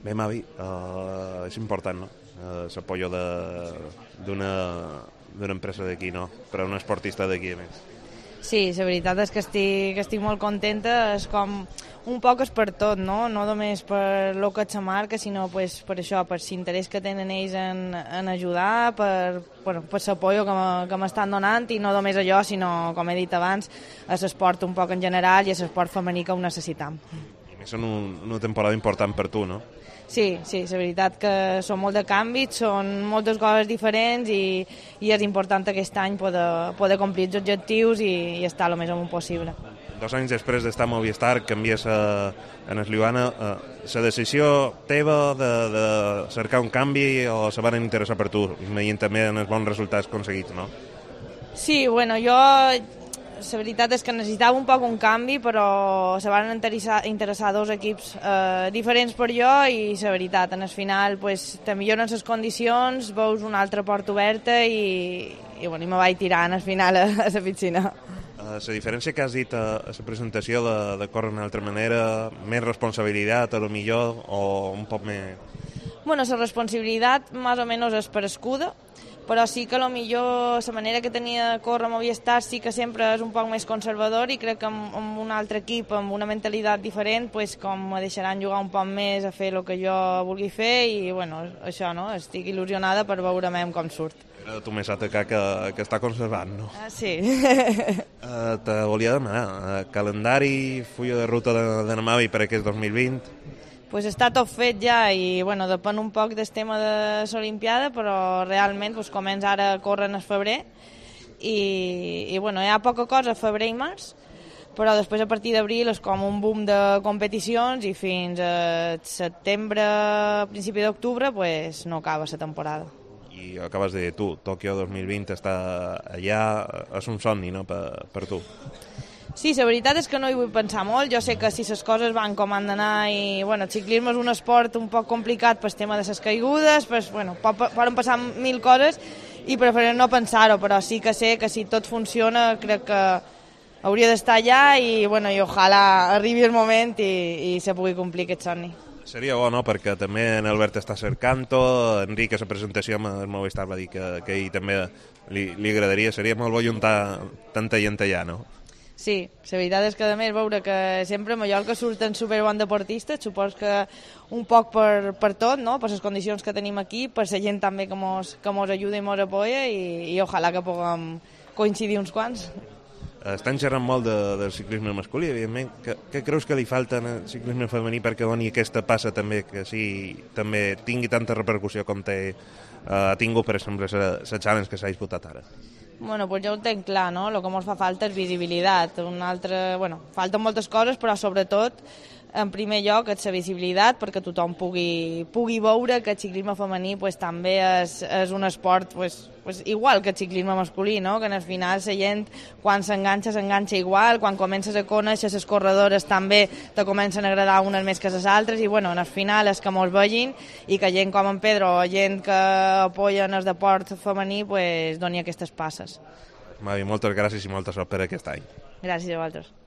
Bé, Mavi, és important, no? L'apoyo d'una empresa d'aquí, no? Per a un esportista d'aquí, a més. Sí, la veritat és que estic molt contenta, és com un poc és per tot, no? No només per lo que és la marca, sinó pues, per això, per l'interès que tenen ells en ajudar, per l'apoyo que m'estan donant, i no només allò, sinó, com he dit abans, a l'esport un poc en general i a l'esport femení que ho necessitam. I més en una temporada important per tu, no? Sí, la veritat que són molt de canvis, són moltes coses diferents i és important aquest any poder complir els objectius i estar el més amunt possible. 2 anys després d'estar a Movistar, canvies en Esliuana. La decisió teva de cercar un canvi o se van interessar per tu, veient també en els bons resultats aconseguits, no? Sí, bueno, la veritat és que necessitava un poc un canvi, però se van interessar 2 equips diferents per jo i la veritat, en el final pues, te milloren les condicions, veus una altra porta oberta i me vaig tirar en el final a la piscina. La diferència que has dit a la presentació de córrer d'una altra manera, més responsabilitat, a lo millor, o un poc més... Bueno, la responsabilitat més o menys és per escuda, però sí que millor la manera que tenia de córrer a Movistar sí que sempre és un poc més conservador i crec que amb un altre equip, amb una mentalitat diferent, pues, com me deixaran jugar un poc més a fer el que jo vulgui fer i bueno, això, no? Estic il·lusionada per veure com surt. Tu més atacar que està conservant, no? Sí. Te volia demanar, calendari, fulla de ruta de Namavi per aquest 2020... Pues està tot fet ja i bueno, depèn un poc del tema de l'Olimpiada, però realment pues, comença ara a córrer en el febrer i bueno, hi ha poca cosa a febrer i març, però després a partir d'abril és com un boom de competicions i fins a setembre, principi d'octubre, pues, no acaba la temporada. I acabes de dir tu, Tòquio 2020 està allà, és un somni, no?, per tu. Sí, la veritat és que no hi vull pensar molt. Jo sé que si les coses van com han d'anar i bueno, el ciclisme és un esport un poc complicat pel tema de les caigudes, pues, bueno, poden passar 1000 coses i preferim no pensar-ho, però sí que sé que si tot funciona crec que hauria d'estar allà i, bueno, i ojalà arribi el moment i se pugui complir aquest somni. Seria bo, no?, perquè també en Albert està cercant-ho, Enric a la presentació amb el Movistar va dir que ell també li agradaria, seria molt bo juntar tanta gent allà, no? Sí, la veritat és que a més veure que sempre a Mallorca surten superbons deportistes, supos que un poc per tot, no? Per les condicions que tenim aquí, per la gent també que mos ajuda i mos apoya i ojalà que puguem coincidir uns quants. Estan xerrant molt del ciclisme masculí, evidentment. Què creus que li falta al ciclisme femení perquè doni aquesta passa també, que sí, també tingui tanta repercussió com ha tingut, per exemple, la challenge que s'ha disputat ara? Bueno, pues ja ho tenc clar, no? El que ens fa falta és visibilitat. Falten moltes coses, però sobretot, en primer lloc, és la visibilitat, perquè tothom pugui veure que el ciclisme femení pues, també és un esport pues, igual que el ciclisme masculí, no? Que al final la gent, quan s'enganxa igual, quan comences a conèixer les corredores també te comencen a agradar unes més que les altres, i bueno, al final és que mos vegin i que gent com en Pedro o gent que apoyen el deport femení pues, doni aquestes passes. Mavi, moltes gràcies i molta sort per aquest any. Gràcies a vosaltres.